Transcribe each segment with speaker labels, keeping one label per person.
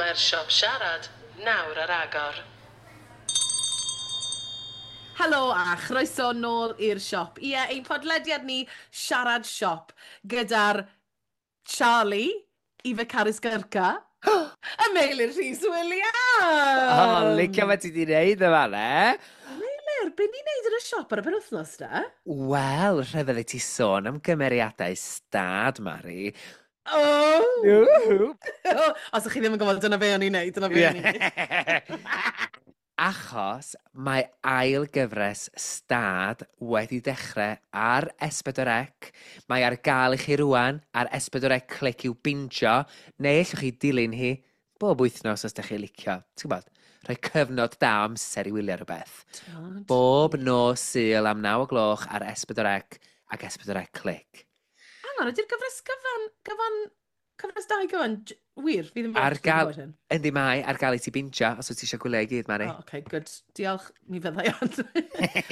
Speaker 1: Mae'r siop siarad nawr ar agor.
Speaker 2: Helo a chroeso nôl i'r siop. Ie, ein podlediad ni, Siarad Siop, gyda'r Charlie, Eva Caris Gyrca, a Meilir Rhys Williams!
Speaker 3: O, licio fe ti di wneud yma, ne?
Speaker 2: Meilir, be ni'n neud yn y siop ar y penwythnos, da?
Speaker 3: Wel, rhyfedd i ti sôn am gymeriadau stad, Mari.
Speaker 2: Oh!
Speaker 3: Woohoo!
Speaker 2: Os ydych chi ddim yn gwybod, dyna be o'n i'n neud, dyna be o'n i'n neud.
Speaker 3: Achos mae ail gyfres stad wedi dechrau ar S4C. Mae ar gael i chi rwan ar S4C Clic i'w bingio, neu allwch chi dilyn hi bob wythnos os ydych chi licio. Ti'n gwybod, rhoi cyfnod da o amser i wylio rhywbeth. Bob nos Sul am 9 o gloch ar S4C ac S4C Clic.
Speaker 2: Hang on, ydy'r gyfres gyfan, cyfres 2 gyfan, wir, fi ddim
Speaker 3: Ar
Speaker 2: yn
Speaker 3: gael-
Speaker 2: gwybod hyn.
Speaker 3: Yndi mae, ar gael i ti bingio os wyt ti eisiau gwylio i gyd, Mari.
Speaker 2: Oh, okay, good. Diolch, mi fyddai ond.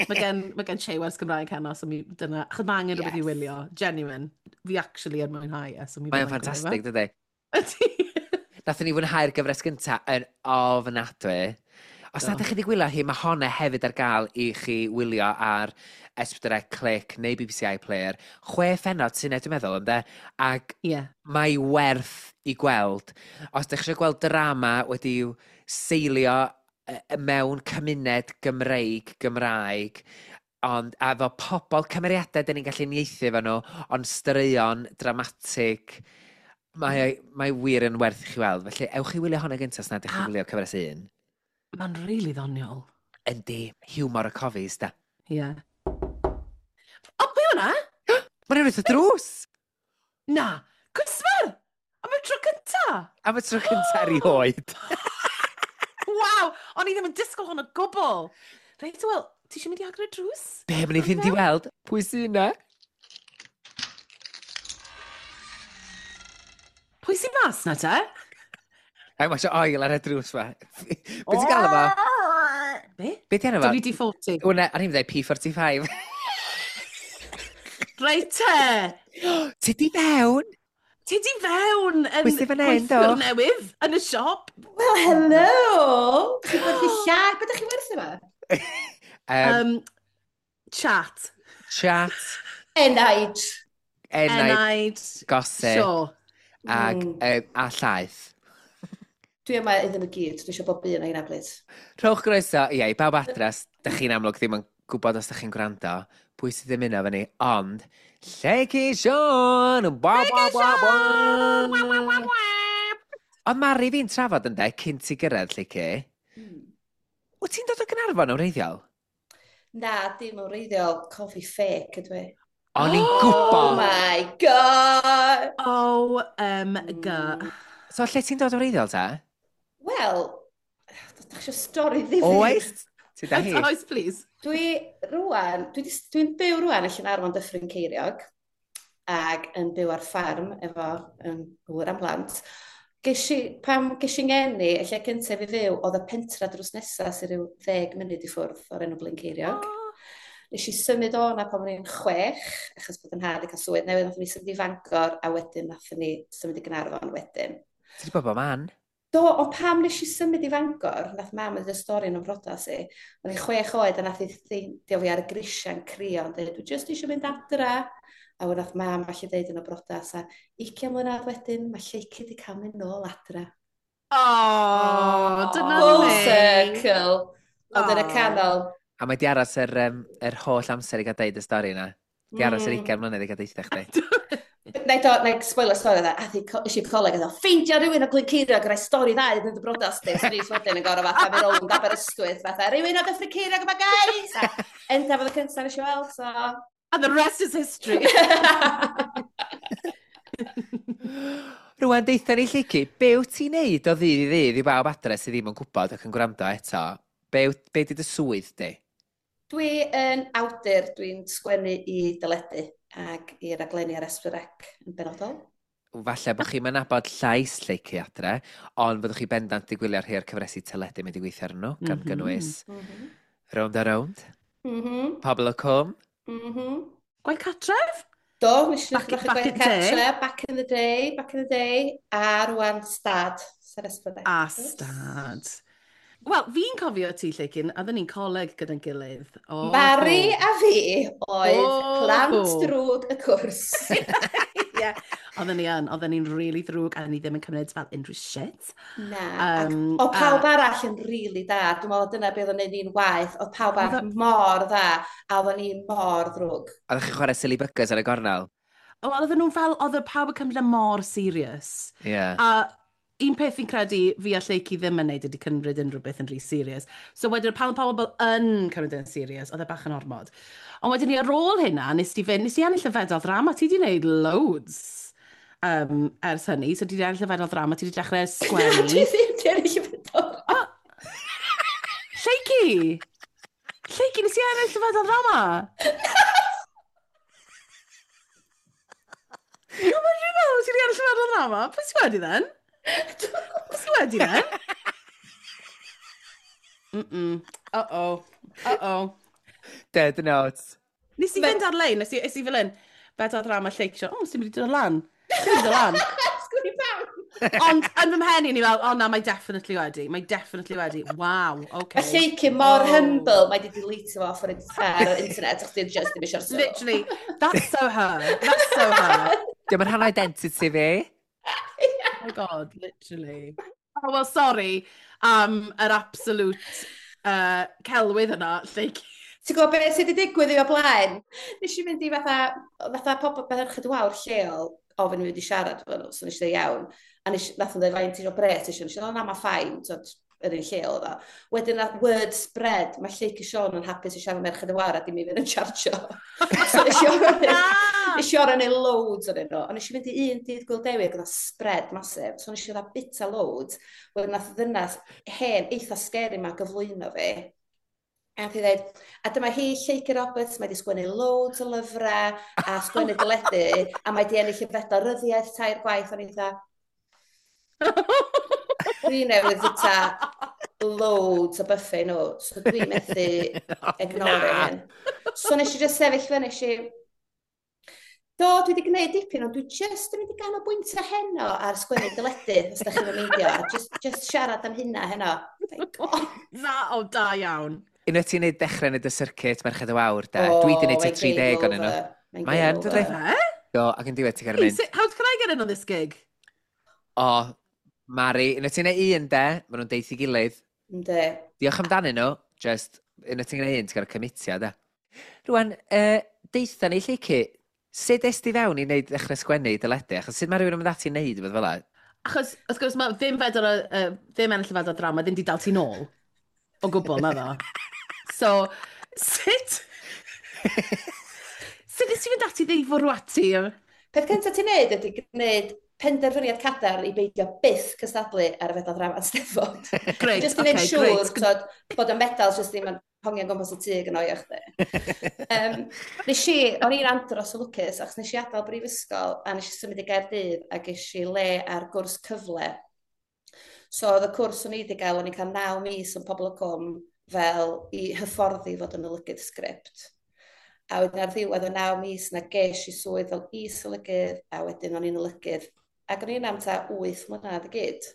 Speaker 2: Mae gen Che wers Gymraeg heno, so mi dyna... Achos mae angen rhywbeth i
Speaker 3: Yes.
Speaker 2: wylio. Genuine. Fi actually yn mwynhau e, so mi
Speaker 3: Mae'n
Speaker 2: fyddai'n gwylio fe.
Speaker 3: ffantastig, dydy?
Speaker 2: Ydy.
Speaker 3: Nathon ni fwynhau'r gyfres gynta yn ofnadwy. Os
Speaker 2: Do.
Speaker 3: nad ydych chi wedi gwylio hi, mae honna hefyd ar gael i chi wylio ar S4C Clic neu BBC iPlayer. 6 phennod sy'n dwi'n meddwl, ynde? Ac
Speaker 2: Ie.
Speaker 3: mae werth i gweld. Os ydych chi eisiau gweld drama wedi'w seilio mewn cymuned Gymreig, Gymraeg, ond a efo pobl cymeriadau dyn ni'n gallu uniaethu efo nhw, ond straeon dramatig, mae wir yn werth i chi weld. Felly, ewch i wylio hwnna gyntaf os nad ydych chi'n wylio cyfres 1.
Speaker 2: Mae'n rili ddoniol.
Speaker 3: Yndi, hiwmor y cofis, da.
Speaker 2: Ie. O, be hwnna?
Speaker 3: Mae'n rhywbeth y drws!
Speaker 2: Na, cwsmer! Am y tro cynta!
Speaker 3: Am y tro cyntaf erioed.
Speaker 2: Waw! O'n i ddim yn disgwyl hwn o gwbl. Reit, wel, ti eisiau mynd i agor y drws?
Speaker 3: Be, mae'n i fynd i weld? Pwy sy'n yna?
Speaker 2: Pwy sy'n mas na te?
Speaker 3: Ai, mae eisiau oil ar y drws ma. Be ti'n gael yma?
Speaker 2: Be?
Speaker 3: Be ti enw fo?
Speaker 2: WD-40.
Speaker 3: Wna, o'n i'n dweud P45.
Speaker 2: Reit te!
Speaker 3: Ti di fewn?
Speaker 2: Ti di fewn yn
Speaker 3: Pwy sy fan hyn,
Speaker 2: gweithiwr
Speaker 3: do?
Speaker 2: newydd yn y siop.
Speaker 4: Well, hello! Chi'n gwerthu llaeth? Be ydych chi'n werthu yma?
Speaker 2: Chat.
Speaker 3: Chat,
Speaker 4: Enaid.
Speaker 3: enaid,
Speaker 2: Enaid.
Speaker 3: gossip,
Speaker 2: Sure.
Speaker 3: ag, a llaeth.
Speaker 4: Dwi yma iddyn nhw gyd. Dwi eisiau bob un o hynna, please.
Speaker 3: Rhowch groeso, ie, i bawb adres, dych chi'n amlwg ddim yn gwybod os dych chi'n gwrando, pwy sydd ddim yno fyny, ond Lleucu Siôn! Ba, ba, ba, ba. Ond Mari fi'n trafod ynde, cyn ti gyrraedd, Lleucu. Wyt ti'n dod o Gaernarfon yn wreiddiol?
Speaker 4: Na, dim yn wreiddiol. Cofi fake ydw i.
Speaker 3: O'n i'n
Speaker 4: Oh
Speaker 3: gwybod!
Speaker 4: my God!
Speaker 2: O, M, G.
Speaker 3: So, lle ti'n dod o wreiddiol, ta?
Speaker 4: Wel, ydych chi eisiau stori ddifyr?
Speaker 3: Oes? Ti da hi?
Speaker 2: Oes, please.
Speaker 4: Dwi rwan, dwi'n byw rwan yn Llanarmon Dyffryn Ceiriog ac yn byw ar ffarm efo gŵr am blant. Pam ges i ngeni, y lle cyntaf i fyw, oedd y pentra drws nesaf sy'n rhyw 10 munud i ffwrdd o'r enw Brynceiriog. Nes i symud o na pan o'n i'n 6, achos bod yn nhad i cael swydd newydd, nathon ni symud i Fangor, a wedyn nathon ni symud i Gaernarfon wedyn.
Speaker 3: Ti wedi bod bob man?
Speaker 4: Do, ond pam nes i symud i Fangor, nath mam yn dweud stori yn ymrodas i, o'n i'n 6 oed a nath i ffeindio fi ar y grisiau'n crio, yn dweud, dwi jyst eisiau mynd adra. A wedyn nath mam allu dweud yn y brodas, a 20 mlynedd wedyn, mae Lleucu wedi cael mynd nôl adra.
Speaker 2: O, dyna
Speaker 4: Full
Speaker 2: ni.
Speaker 4: circle, ond yn y canol.
Speaker 3: A mae di aros yr holl amser i gael deud y stori yna. Di aros yr 20 mlynedd i gael deitha chdi.
Speaker 4: Na i do, na i spoiler stori dda, a thi eisiau coleg, a ddo, ffeindio rhywun o Glynceiriog yn rhoi stori dda iddyn dy brodas di. So ni wedyn yn gorfod fatha mynd rownd Aberystwyth, fatha, rhywun o Dyffryn Ceiriog yma, guys! A Endaf oedd y cyntaf nes i weld, so...
Speaker 2: And the rest is history.
Speaker 3: Rwan, deitha ni Lleucu, be wyt ti'n neud o ddydd i ddydd i bawb adre sydd ddim yn gwybod ac yn gwrando eto? Be di dy swydd di?
Speaker 4: Dwi yn awdur, dwi'n sgwennu i deledu ac i raglenni ar S4C yn benodol.
Speaker 3: Falle bod chi'n nabod llais Lleucu adre, ond fyddwch chi bendant di gwylio rhai o'r cyfresi teledu mynd i weithio arnyn nhw, gan gynnwys Rownd a Rownd, Pobol y Cwm.
Speaker 2: Gwaith Catref?
Speaker 4: Do, nes i
Speaker 2: Back
Speaker 4: ddechrau
Speaker 2: in
Speaker 4: gwaith
Speaker 2: the day.
Speaker 4: cartre, back in the day, back in the day, a rwan stad. ar S4C.
Speaker 2: A stad. Wel, fi'n cofio ti, Lleucu, a oedden ni'n coleg gyda'n gilydd.
Speaker 4: Oh. Mari a fi oedd plant drwg y cwrs.
Speaker 2: Ie, oedden ni yn, oedden ni'n really ddrwg a ni ddim yn cymryd fel unrhyw shit.
Speaker 4: Na, o pawb arall yn really da, dwi'n meddwl dyna beth oedd yn neud ni'n waeth, oedd pawb arall mor dda, a oedden ni'n mor ddrwg.
Speaker 3: Oeddech chi'n chwarae silly buggers ar y gornel?
Speaker 2: Wel, oedden nhw'n fel, oedd y pawb yn cymryd e mor serious.
Speaker 3: Yeah.
Speaker 2: A un peth fi'n credu fi a Lleucu ddim yn neud ydy cymryd unrhyw beth yn rhy serious. So wedyn, pan pobl yn cymryd yn serious, oedd e bach yn ormod. Ond wedyn ni ar ôl hynna, nes ti fynd, nes ti ennill y fedal ddrama, ti di wneud loads ers hynny. So ti di ennill y fedal ddrama, ti di dechrau sgwennu.
Speaker 4: Dwi ddim di ennill y fedal.
Speaker 2: Oh. Lleucu! Lleucu, nes ti ennill y fedal ddrama? No, mae'n rhywbeth meddwl ti di ennill y fedal ddrama. Pwy ti wedi then? Pwy ti wedi then? Mm-mm. Uh-oh. Uh-oh.
Speaker 3: Dead notes.
Speaker 2: Nes i fynd ar-lein, nes i fel un, fedal ddrama Lleucu, o, sy'n mynd i dod lan. Sy'n mynd i dod lan.
Speaker 4: Sgwni pam.
Speaker 2: Ond yn fy mhen i, ni fel, o na, mae definitely wedi. Mae definitely wedi. Wow, okay.
Speaker 4: Mae Lleucu mor humble, mae di delete fo off ar yr internet, achos di just ddim eisiau'r sylw.
Speaker 2: Literally, that's so her. That's so her.
Speaker 3: Diolch yn rhan identity fi.
Speaker 2: Oh my God, literally. Oh, well, sorry am yr absolute celwydd yna, Lleucu.
Speaker 4: Ti'n gwybod beth sydd wedi digwydd i o blaen? Nes i fynd i fatha pobl Merched y Wawr lleol, ofyn i fi wedi siarad efo nhw, so nes i dweud iawn. A nes, nath nhw dweud, faint o bres ti isio? Nes i dweud, na, mae fine, so, yr un lleol oedd o. Wedyn, nath word spread, mae Lleucu Siôn yn hapus i siarad Merched y Wawr a dim i fynd yn chargio. So nes i orau nes i orau neud loads o'n nhw. Ond nes i fynd i un dydd Gŵyl Dewi ac oedd spread massive. So nes i ddod bita loads. Wedyn nath ddynas hen eitha scary ma gyflwyno fi. A nath hi dweud, a dyma hi, Lleucu Roberts, mae di sgwennu loads o lyfrau a sgwennu deledu, a mae di ennill y fedal ryddiaeth 3 gwaith. O'n i dda, dwi newydd fwyta loads o buffet nhw, so dwi methu ignore hyn. So nes i just sefyll fyny, nes i, do, dwi wedi gwneud dipyn, ond dwi just yn mynd i ganolbwyntio heno ar sgwennu deledu, os da chi'n meindio, a just siarad am hynna heno.
Speaker 2: Na, o, da iawn.
Speaker 3: Unwaith ti'n neud dechrau neud y circuit Merched y Wawr, de, dwi wedi neud tua 30 o'n nhw. Mae yn, dydy? Do, ac yn diwedd ti'n cael mynd.
Speaker 2: How can I get in on this gig?
Speaker 3: O, Mari, unwaith ti'n neud un, de, maen nhw'n deith i gilydd.
Speaker 4: Ynddi.
Speaker 3: Diolch amdanyn nhw, just, unwaith ti'n gwneud un, ti'n cael cymitio, de. Rwan, deitha ni, Lleucu, sut es ti fewn i wneud ddechrau sgwennu deledu? Achos sut mae rhywun yn mynd ati i wneud rhywbeth fel 'na?
Speaker 2: Achos, wrth gwrs, mae ddim fedal, ddim ennill y fedal drama, ddim di dal ti nôl. O gwbl, na ddo. So, sut nes ti fynd ati i fwrw ati?
Speaker 4: Peth cyntaf ti'n neud ydy gwneud penderfyniad cadarn i beidio byth cystadlu ar y fedal drama Steddfod.
Speaker 2: Great,
Speaker 4: just i wneud
Speaker 2: okay,
Speaker 4: siŵr tod, bod y medals just ddim yn hongian gwmpas y tŷ yn oio chdi. Nes i, o'n i'n andros o lwcus, achos nes i adael brifysgol a nes i symud i Gaerdydd a ges i le ar gwrs cyfle. So oedd y cwrs o'n i wedi gael, o'n i'n cael 9 mis yn Pobl y Cwm fel i hyfforddi fod yn olygydd sgript. A wedyn ar ddiwedd y 9 mis na ges i swydd fel is-olygydd, a wedyn o'n i'n olygydd. Ac o'n i'n am ta 8 mlynedd i gyd.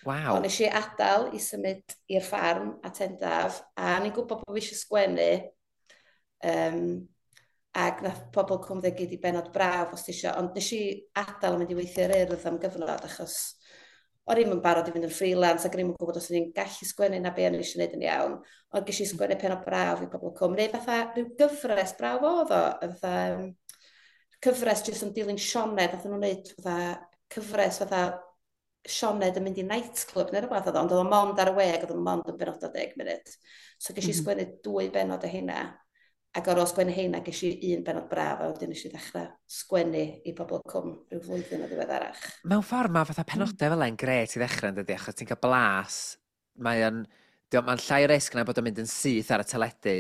Speaker 3: Waw.
Speaker 4: Ond nes i adael i symud i'r ffarm a Tendaf, a o'n i'n gwybod bod fi eisiau sgwennu. Ac nath Pobl Cwm ddweud gyd i benod braf os ti eisiau. Ond nes i adael a mynd i weithio i'r Urdd am gyfnod, achos o'n i'm yn barod i fynd yn freelance ac o'n i'm yn gwybod os o'n i'n gallu sgwennu na be o'n i eisiau gwneud yn iawn. Ond ges i sgwennu penod braf i Pobl Cwm, neu fatha rhyw gyfres braf oedd o, fatha cyfres jyst yn dilyn Sioned, nath nhw'n wneud fatha cyfres fatha Sioned yn mynd i nightclub neu rhywbeth oedd o, ond oedd o mond ar y we ac oedd o mond yn benod o 10 munud. So ges i sgwennu 2 benod o hynna, ac ar ôl sgwennu hynna ges i un benod braf, a wedyn nes i ddechrau sgwennu i Pobl Cwm rhyw flwyddyn o ddiweddarach.
Speaker 3: Mewn ffordd mae fatha penodau fel yna'n gret i ddechrau yn dydi, achos ti'n cael blas, mae'n llai o risg na bod o'n mynd yn syth ar y teledu.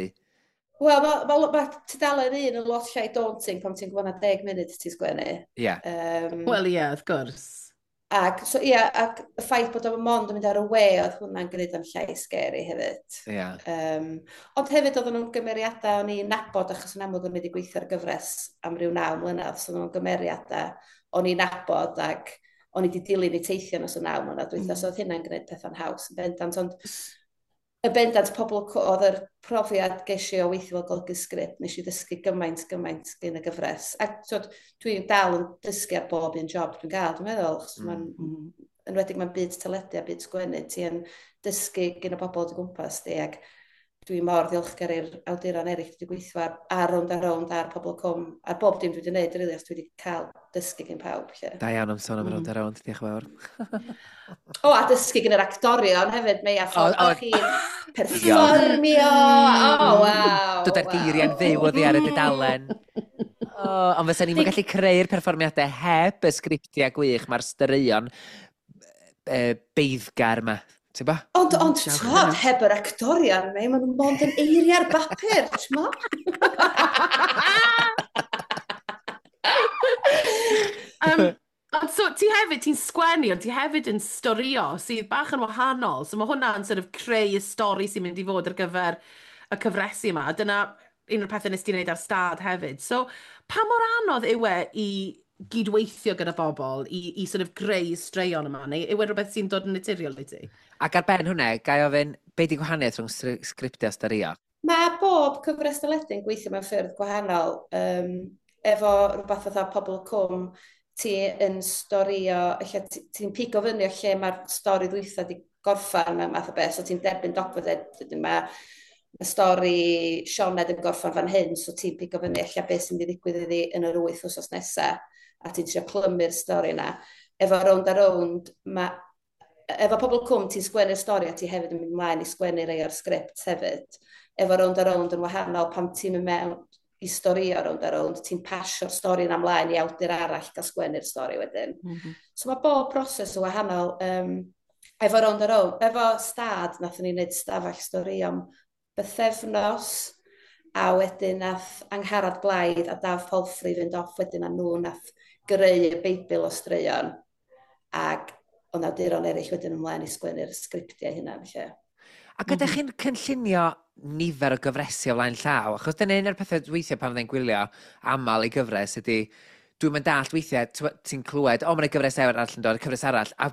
Speaker 4: Wel, mae tudalen un yn lot llai daunting pan ti'n gwybod na 10 munud ti'n sgwennu.
Speaker 3: Ie.
Speaker 2: Wel, ie, wrth gwrs.
Speaker 4: Ac, so, ie, ac y ffaith bod o'n mond yn mynd ar y we, oedd hwnna'n gwneud o'n llai scary hefyd.
Speaker 3: Ie.
Speaker 4: Ond hefyd oedden nhw'n gymeriadau o'n i'n nabod, achos yn amlwg o'n i wedi gweithio ar gyfres am ryw 9 mlynedd, so oedden nhw'n gymeriadau o'n i'n nabod ac O'n i wedi dilyn eu teithio nos y 9 mlynedd dwytha, so oedd hynna'n gwneud pethau'n haws yn bendant, ond y bendant pobl oedd yr profiad ges i o weithio fel golygu sgript, nes i ddysgu gymaint, gymaint gen y gyfres. Ac twyd, dwi'n dal yn dysgu ar bob un job dwi'n gael, dwi'n meddwl, achos mae'n enwedig mae'n byd teledu a byd sgwennu, ti yn dysgu gen y bobl o dy gwmpas di, ac dwi mor ddiolchgar i'r awduron eraill dwi wedi gweithio ar Rownd a Rownd, ar Pobl Cwm, ar bob dim dwi wedi gwneud, rili, os dwi wedi cael dysgu gen pawb. Lle.
Speaker 3: Da iawn am sôn am Rownd a Rownd, diolch yn fawr.
Speaker 4: O, a dysgu gen yr actorion hefyd, mei, a ffordd o chi'n perfformio. O, waw.
Speaker 3: Dod â'r geiriau'n fyw oddi ar y dudalen. O, ond fysa ni'n gallu creu'r perfformiadau heb y sgriptiau gwych, mae'r straeon beiddgar yma. Ti'n ba?
Speaker 4: Ond, Diolch, twod, hynna. heb yr actorion, mei, maen nhw mond yn eiriau ar bapur, ti'n mo?
Speaker 2: Ond so, ti hefyd, ti'n sgwennu, ond ti hefyd yn storio, sydd bach yn wahanol. So mae hwnna'n sort of creu y stori sy'n mynd i fod ar gyfer y cyfresu yma. A dyna un o'r pethau nes ti wneud ar stad hefyd. So, pa mor anodd yw e i gydweithio gyda bobl, i sort of greu straeon yma, neu yw e rhywbeth sy'n dod yn naturiol i ti?
Speaker 3: Ac ar ben hwnna, gai ofyn, be di gwahaniaeth rhwng sgriptio a storio?
Speaker 4: Mae bob cyfres deledu yn gweithio mewn ffyrdd gwahanol. Efo rhywbeth fatha Pobl y Cwm, ti yn storio, ella ti'n pigo fyny o lle mae'r stori ddwytha di gorffan mewn math o beth, so ti'n derbyn dogfen, dweud, mae stori Sioned yn gorffan fan hyn, so ti'n pigo fyny ella beth sy'n mynd i ddigwydd iddi yn yr 8 wsos nesaf, a ti'n trio clymu'r stori yna. Efo Rownd a Rownd, efo Pobl Cwm ti'n sgwennu'r stori a ti hefyd yn mynd ymlaen i sgwennu rei o'r sgript hefyd. Efo Rownd a Rownd yn wahanol, pan ti'n mynd mewn i storio Rownd a Rownd, ti'n pasio'r stori yna ymlaen i awdur arall gael sgwennu'r stori wedyn. So mae bob proses yn wahanol. Efo Rownd a Rownd, efo stad, nathon ni wneud stafell stori am bythefnos, a wedyn nath Angharad Blaidd a Daf Palfrey fynd off wedyn a nhw nath greu y Beibl o straeon. Ac oedd awduron eraill wedyn ymlaen i sgwennu'r sgriptiau hynna. Felly.
Speaker 3: Ac ydych chi'n cynllunio nifer o gyfresi o flaen llaw? Achos dyna un o'r pethau weithiau pan fyddai'n gwylio aml i gyfres ydy, dwi'n mynd dallt weithiau, ti'n clywed, o, mae'n gyfres arall yn dod, cyfres arall, a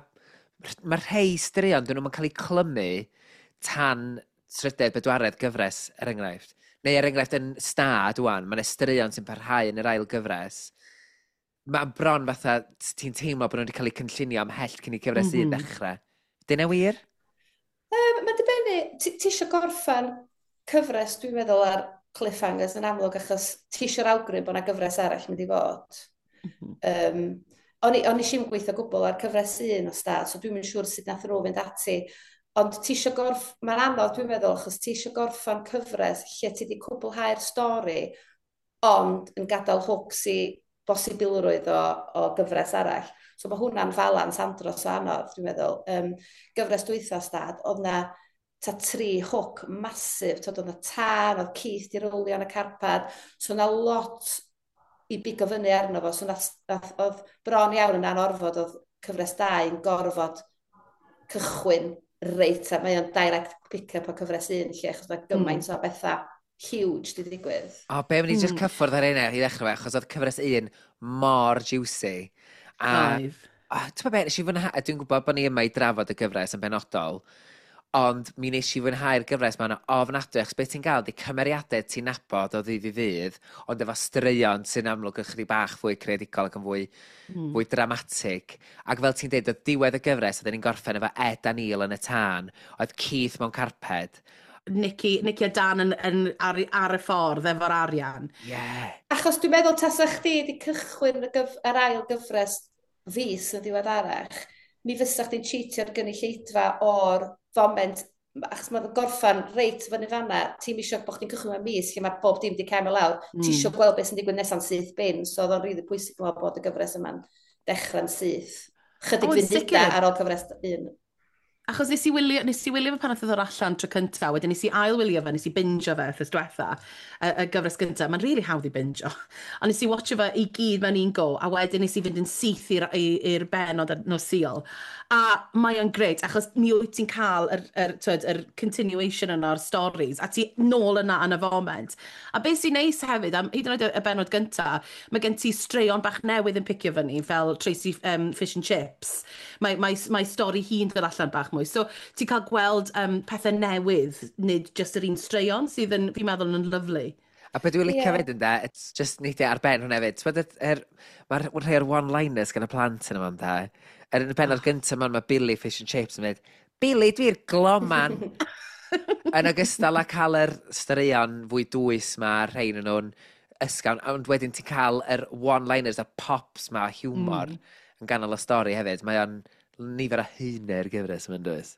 Speaker 3: mae rhai straeon, dyn nhw'n cael eu clymu tan trydedd, bedwaredd gyfres, er enghraifft. Neu er enghraifft yn stad wan, mae'n straeon sy'n parhau yn yr ail gyfres. Mae'n bron fatha, ti'n teimlo bod nhw wedi cael eu cynllunio ymhell cyn i cyfres un ddechrau. Dyna wir?
Speaker 4: Mae'n dibynnu, ti eisiau gorffan cyfres, dwi'n meddwl, ar cliffhangers yn amlwg, achos ti eisiau'r awgrym bod yna gyfres arall mynd i fod. O'n i eisiau gweithio gwbl ar cyfres un o stad, so dwi'n mynd siŵr sut nath nhw fynd ati. Ond ti eisiau mae'n anodd dwi'n meddwl, achos ti eisiau gorffan cyfres lle ti wedi cwblhau'r stori, ond yn gadael hooks i bosibilrwydd o gyfres arall. So mae hwnna'n falans andros o anodd, dwi'n meddwl. Gyfres dwytha stad, oedd na ta tri hook masif, tod oedd na tân, oedd Keith di rowlio yn y carpad, so na lot i bigo fyny arno fo, so nath, oedd bron iawn yn anorfod, oedd cyfres 2 yn gorfod cychwyn reit, a mae o'n direct pick-up o cyfres 1 lle, achos mae gymaint o bethau huge di ddigwydd.
Speaker 3: O, be, mynd i just cyffwrdd ar hynna i ddechrau fe, achos oedd cyfres un mor juicy. A, Oedd. o, ti'n gwbod be, nes i fwynhau, dwi'n gwybod bod ni yma i drafod y gyfres yn benodol, ond mi nes i fwynhau'r gyfres ma'n ofnadwy, achos beth ti'n gael di cymeriadau ti'n nabod o ddydd i ddydd, ond efo straeon sy'n amlwg yn chydig bach fwy creadigol ac yn fwy dramatig. Ac fel ti'n dweud, oedd diwedd y gyfres, oedden ni'n gorffen efo Ed a Neil yn y tân, oedd Keith mewn carped.
Speaker 2: Nicky a Dan yn ar y ffordd efo'r arian.
Speaker 4: Achos dwi'n meddwl tasa chdi wedi cychwyn yr ail gyfres fis yn ddiweddarach, mi fysa chdi'n cheatio'r gynulleidfa o'r foment, achos mae'n gorffan reit fyny fanna, ti'n isio bod chdi'n cychwyn mewn mis lle mae bob dim wedi cael lawr, ti isio gweld beth sy'n digwydd nesa'n syth bin, so oedd o'n rili pwysig dwi'n meddwl bod y gyfres yma'n dechrau'n syth. Chydig O, yn funudau sicr. ar ôl cyfres un.
Speaker 2: Achos nes i wylio fe pan nath o ddod allan tro cyntaf, wedyn nes i ail wylio fe, nes i bingio fe wythnos diwetha, y gyfres gyntaf. Mae'n really hawdd i bingio. Ond nes i watcho fe i gyd mewn un go, a wedyn nes i fynd yn syth i'r benod ar nos Sul. A mae o'n grêt, achos mi wyt ti'n cael yr, twyd, yr continuation yna o'r stories, a ti nôl yna yn y foment. A beth sy'n neis hefyd, am hyd yn oed y benod gyntaf, mae gen ti straeon bach newydd yn picio fyny, fel Tracy Fish and Chips. Mae stori hi'n dod allan bach mwy. So ti'n cael gweld pethau newydd, nid just yr un straeon, sydd yn, fi'n meddwl, yn lyfli.
Speaker 3: A beth dwi'n licio fyd ynde, it's just neidio ar ben hwnna hefyd. T'mod mae'r rhai o'r one-liners gan y plant yn yma ynde. Er yn y bennod gyntaf mae Billy Fish and Chips yn mynd, "Billy, dwi'n gloman." Yn ogystal â cael yr straeon fwy dwys ma, rhain yn nhw'n ysgawn, ond wedyn ti'n cael yr one-liners a pops ma, humor yn ganol y stori hefyd. Mae o'n nifer o haenau'r gyfres yma'n dwys.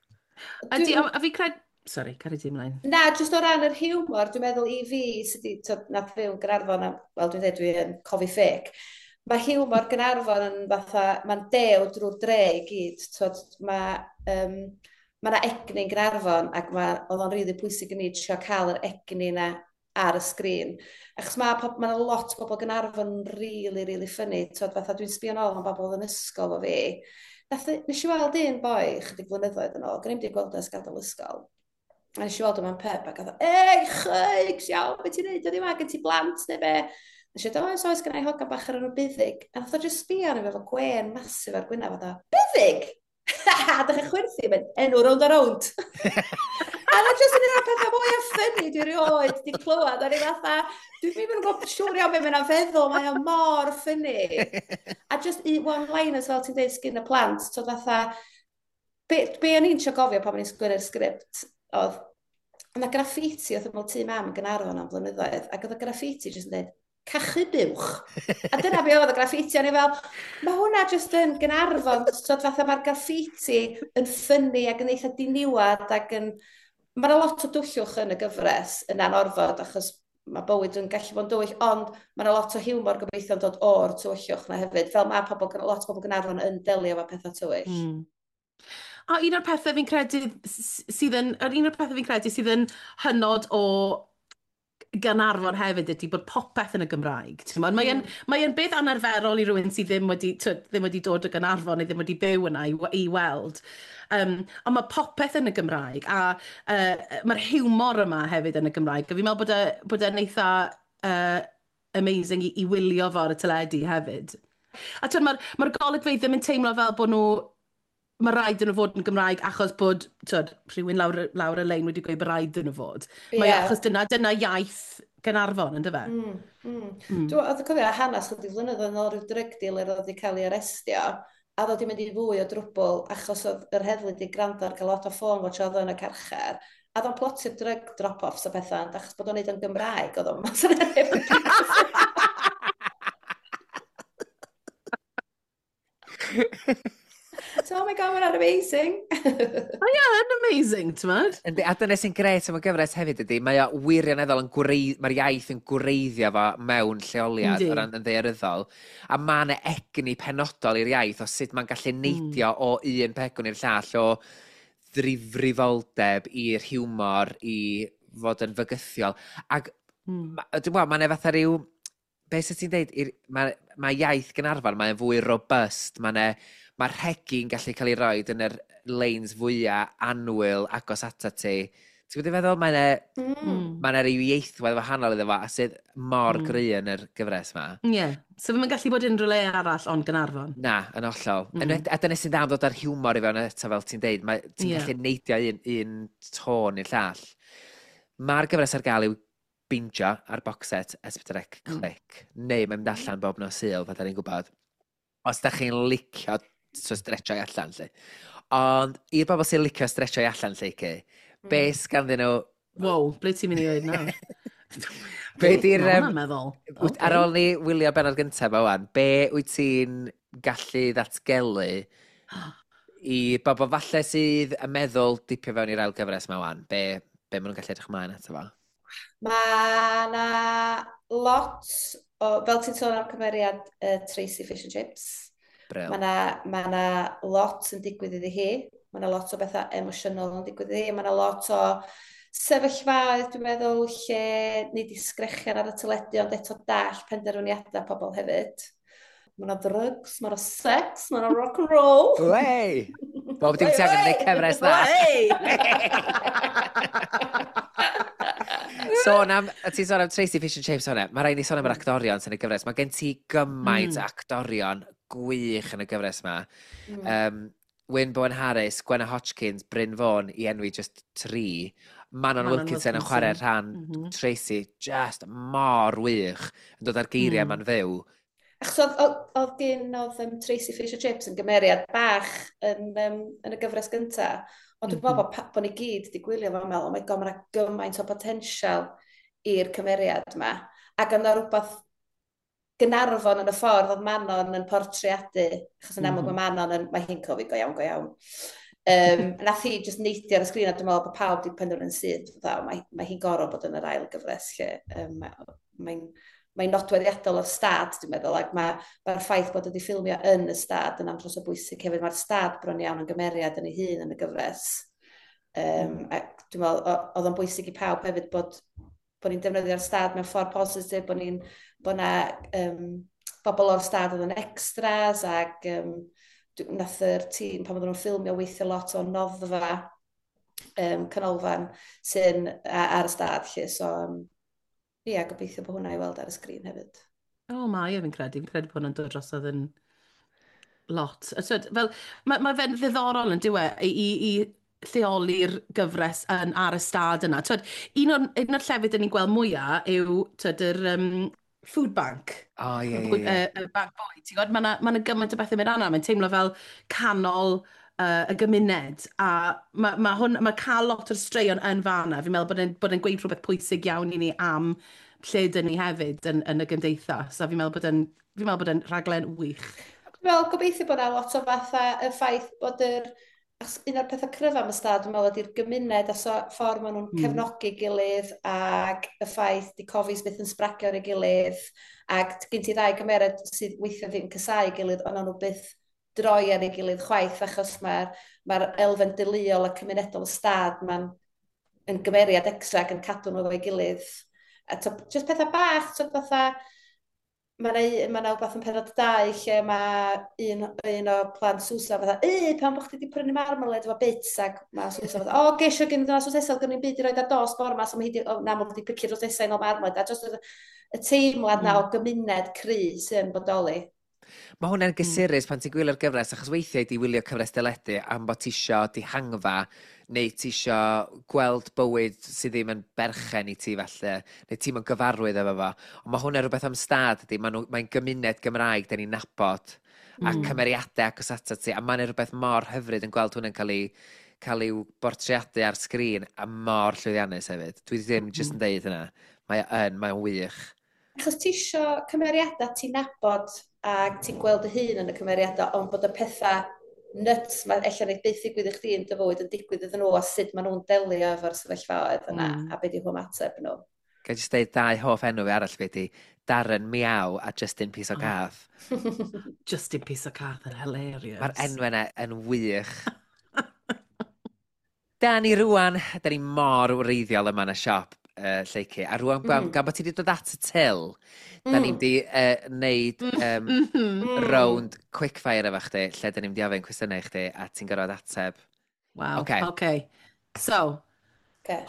Speaker 2: Ydy, a fi cred. Sorry, cario di ymlaen.
Speaker 4: Na, jyst o ran yr hiwmor, dwi'n meddwl i fi, sydd wedi, twyd, nath fyw yn Gaernarfon, wel, dwi'n dweud dwi'n cofi ffec, mae hiwmor Gaernarfon yn fatha, mae'n dew drwy'r dre i gyd, twyd, mae 'na egni yn Gaernarfon, ac oedd o'n rili pwysig i ni trio cael yr egni na ar y sgrin. Achos mae 'na lot o bobl Gaernarfon yn really, really funny. Twyd, fatha dwi'n sbio nôl am bobl yn ysgol o fi. Nes i weld un boi chydig blynyddoedd yn ôl, gwneud wedi gweld o ers gadael ysgol. A nes i weld o mewn pub ac oedd o, "Ei, chygs, iawn, beth ti'n neud? Ydy ma, gen ti blant neu be?" Nes i dweud, "Oes, oes, gen i hogan bach ar enw Buddig." A nath o just sbio arno fi efo gwên massive ar gwynaf, a "Buddig?" A dechrau chwerthu, mynd, "Enw Rownd a Rownd." A na jyst yn un o'r pethau mwy o funny dwi erioed di clywed. A ni fatha, dwi'n ddim yn gwybod siŵr iawn beth mae'n feddwl, mae o mor funny. A just one-liners fel ti'n dweud sgyn y plant, so fatha, be o'n i'n trio gofio pan o'n i'n sgwennu'r sgript, oedd, yna graffiti oedd ymwyl tŷ mam yn Gaernarfon am blynyddoedd, ac oedd y graffiti jyst yn dweud, "Cachu buwch." A dyna be oedd y graffiti, o'n i fel, mae hwnna jyst yn Gaernarfon, so fatha mae'r graffiti yn funny ac yn eitha diniwad ac yn... Mae yna lot o dwyllwch yn y gyfres yn anorfod, achos mae bywyd yn gallu bod yn dywyll, ond mae yna lot o hiwmor gobeithio'n dod o'r tywyllwch na hefyd, fel mae pobl, lot o bobl Gaernarfon yn delio efo pethau tywyll.
Speaker 2: A un o'r pethau fi'n credu sydd yn, yr un o'r pethau fi'n credu sydd yn hynod o Gaernarfon hefyd ydy bod popeth yn y Gymraeg. Ti'n Mae yn, mae yn beth anarferol i rywun sydd ddim wedi, twyd, ddim wedi dod o Gaernarfon neu ddim wedi byw yna i weld. Ond mae popeth yn y Gymraeg a mae'r hiwmor yma hefyd yn y Gymraeg. A fi'n meddwl bod e'n eitha amazing i wylio fo ar y teledu hefyd. A twyd, mae'r golygfeydd ddim yn teimlo fel bod nhw mae rhaid yn nhw fod yn Gymraeg achos bod twyd, rhywun lawr y lein wedi gweud bod rhaid yn nhw fod. Mae achos dyna iaith Gaernarfon, ynddo fe?
Speaker 4: Mm. Dwi'n oedd cofio hanes chydig flynyddoedd yn ôl rhyw drug dealer oedd wedi cael ei arestio a oedd wedi mynd i fwy o drwbl achos oedd yr heddlu wedi gwrando ar cael lot o ffôn watch oedd o yn y carchar. A oedd o'n plotio drug drop-offs a pethau, ond achos bod o'n neud o'n Gymraeg, oedd o'n mas yn neb yn. So, oh my God, mae'n amazing.
Speaker 2: O ie, yn amazing, ti'n modd?
Speaker 3: Yndi, a dyna sy'n grêt am y gyfres hefyd ydy, mae o wirioneddol yn gwrei-, mae'r iaith yn gwreiddio fo mewn lleoliad o ran yn ddaearyddol, a mae yna egni penodol i'r iaith o sut mae'n gallu neidio o un pegwn i'r llall, o ddifrifoldeb i'r hiwmor, i fod yn fygythiol. Ac dwi'n gwybod, mae'n fatha rhyw, be sydd ti'n deud, mae iaith Gaernarfon, mae'n fwy robust, mae'r rhegi'n gallu cael ei roed yn yr leins fwyaf annwyl agos ata ti. Ti'n gwybod i feddwl? Mae'n Mae yna ryw ieithwedd wahanol iddo fo, a sydd mor gry yn yr gyfres yma.
Speaker 2: Ie. Yeah. So fe'n gallu bod unrhyw le arall ond Gaernarfon.
Speaker 3: Na, yn hollol. A dyna sy'n dda am ddod â'r hiwmor i fewn eto, fel ti'n deud. Ti'n gallu neidio un tôn i'r llall. Mae'r gyfres ar gael i'w bingio ar box set S4C Clic. Neu mae'n mynd allan bob nos Sul, fel da ni'n gwybod. Os da chi'n licio so stretchio allan, lle. Ond i'r bobl sy'n licio stretchio allan, lle, ci, be sganddyn nhw?
Speaker 2: Wow, ble ti'n mynd i ddweud nawr?
Speaker 3: Be di'r
Speaker 2: Ma' hwnna'n meddwl.
Speaker 3: Ar ôl ni wylio benod gyntaf ma wan, be wyt ti'n gallu ddatgelu i bobl falle sydd yn meddwl dipio fewn i'r ail gyfres ma wan? Be maen nhw'n gallu edrych ymlaen ato fo?
Speaker 4: Mae na lot o, fel ti'n sôn am cymeriad Tracy Fish and Chips,
Speaker 3: Bril.
Speaker 4: Mae na lot yn digwydd iddi hi. Mae yna lot o bethau emosiynol yn digwydd iddi, mae yna lot o sefyllfaoedd, dwi'n meddwl, lle nid i sgrechian ar y teledu, ond eto dall penderfyniadau pobl hefyd. Mae yna drugs, mae yna sex, mae yna rock and roll.
Speaker 3: Wey! Bob dim ti angen gwneud cyfres dda. Sôn am, a ti'n sôn am Tracy Fish and Chips hwnna, mae rhaid ni sôn am yr actorion sy'n y gyfres. Mae gen ti gymaint actorion gwych yn y gyfres yma. Wyn Bowen Harris, Gwenna Hodgkins, Bryn Fôn i enwi just tri. Manon, Manon Wilkinson yn chwarae rhan Tracy, just mor wych, yn dod â'r geiriau ma'n fyw.
Speaker 4: Achos oedd gen oedd Tracy Fish and Chips yn gymeriad bach yn y gyfres gyntaf. Ond dwi'n meddwl bod ni gyd wedi gwylio fo'n meddwl, oh my god, mae 'na gymaint o potensial i'r cymeriad yma. Ac yna rhywbeth Gaernarfon yn y ffordd oedd Manon yn portreadu, achos yn amlwg mae Manon yn, mae hi'n cofio go iawn, go iawn. Nath hi just neidio ar y sgrin a dwi'n meddwl bod pawb wedi penderfynu'n syth, fatha, mae hi'n gorfod bod yn yr ail gyfres lle. Mae'n nodweddiadol o'r stad, dwi'n meddwl, ac mae'r ffaith bod wedi ffilmio yn y stad yn andros o bwysig hefyd. Mae'r stad bron iawn yn gymeriad yn ei hun yn y gyfres. Ac dwi'n meddwl, oedd o'n bwysig i pawb hefyd bod ni'n defnyddio'r stad mewn ffordd positif, bod na bobl o'r stad oedd yn extras, ac nath yr tîm, pan oedden nhw'n ffilmio, weithio lot o noddfa canolfan sy'n ar y stad, lle, so ie, gobeithio bod hwnna i weld ar y sgrin hefyd.
Speaker 2: O, mae e, fi'n credu. Fi'n credu bod hwnna'n dod drosodd yn lot. A twyd, fel, mae fe'n ddiddorol yn dyw e, i lleoli'r gyfres yn ar y stad yna. Twyd, un o'r llefydd dyn ni'n gweld mwyaf yw twyd, yr food bank.
Speaker 3: O, ie.
Speaker 2: Y bank bwyd. Ti'n gwybod, mae 'na gymaint o bethau mynd arna. Mae'n teimlo fel canol y gymuned. A mae cael lot o'r straeon yn fanna. Fi'n meddwl bod e'n gweud rhywbeth pwysig iawn i ni am lle dyn ni hefyd yn y gymdeithas. A fi'n meddwl bod e'n rhaglen wych.
Speaker 4: Dwi'n meddwl gobeithio bod yna lot o fatha y ffaith bod achos un o'r pethau cryfa am y stad, dwi'n meddwl, ydy'r gymuned a so, ffordd maen nhw'n cefnogi gilydd ac y ffaith di Cofis byth yn sbragio ar ei gilydd ac gen ti ddau gymeriad sydd weithiau ddim casáu gilydd, ond nhw byth droi ar ei gilydd chwaith achos mae elfen deuluol a cymunedol y stad mae'n yn gymeriad extra ac yn cadw nhw efo'i gilydd. A to, just pethau bach, to fatha, mae 'na wbath yn pennod 2 lle mae un o plant Susan fatha, "E, pam bod chdi wedi prynu marmalade efo bits?" Ac mae Susan fatha, "O, gesio gen i drws nesaf, gen i'n byd i roed ar dos bore 'ma, so mae hi di, o, na, mae wedi picio'r drws nesaf i nôl marmalade." A just y teimlad na o gymuned cry sy'n bodoli.
Speaker 3: Mae hwnna'n gysurus pan ti'n gwylio'r gyfres, achos weithiau di wylio cyfres deledu am bod ti isio dihangfa, neu ti isio gweld bywyd sydd ddim yn berchen i ti falle, neu ti'n yn gyfarwydd efo fo. Ond mae hwnna'n rhywbeth am stad ydy, mae'n gymuned Gymraeg da ni'n nabod, a cymeriadau agos atat ti, a mae'n rhywbeth mor hyfryd yn gweld hwnna'n cael ei bortreadu ar sgrin, a mor llwyddiannus hefyd. Dwi ddim jyst yn deud hynna. Mae'n wych.
Speaker 4: Achos ti isio cymeriadau ti'n nabod ac ti'n gweld dy hun yn y cymeriadau, ond bod y pethau nuts mae ella wneud byth ddigwydd i chdi yn dy fywyd yn digwydd iddyn nhw a sut maen nhw'n delio efo'r sefyllfaoedd yna a be di ymateb nhw.
Speaker 3: Ga i jyst deud dau hoff enw fi arall fi ydi Darren Miaw a Justin Piece o Cath.
Speaker 2: Justin Piece o Cath yn hilarious.
Speaker 3: Mae'r enw yna yn wych. Da ni rwan, da ni mor wreiddiol yma yn y siop, Lleucu. A rwan, gan bod ti wedi dod at y til, da ni'n di neud round quickfire efo chdi, lle da ni'n mynd i ofyn cwestiynau i chdi, a ti'n gorfod ateb.
Speaker 2: Wow. Okay. Okay. So,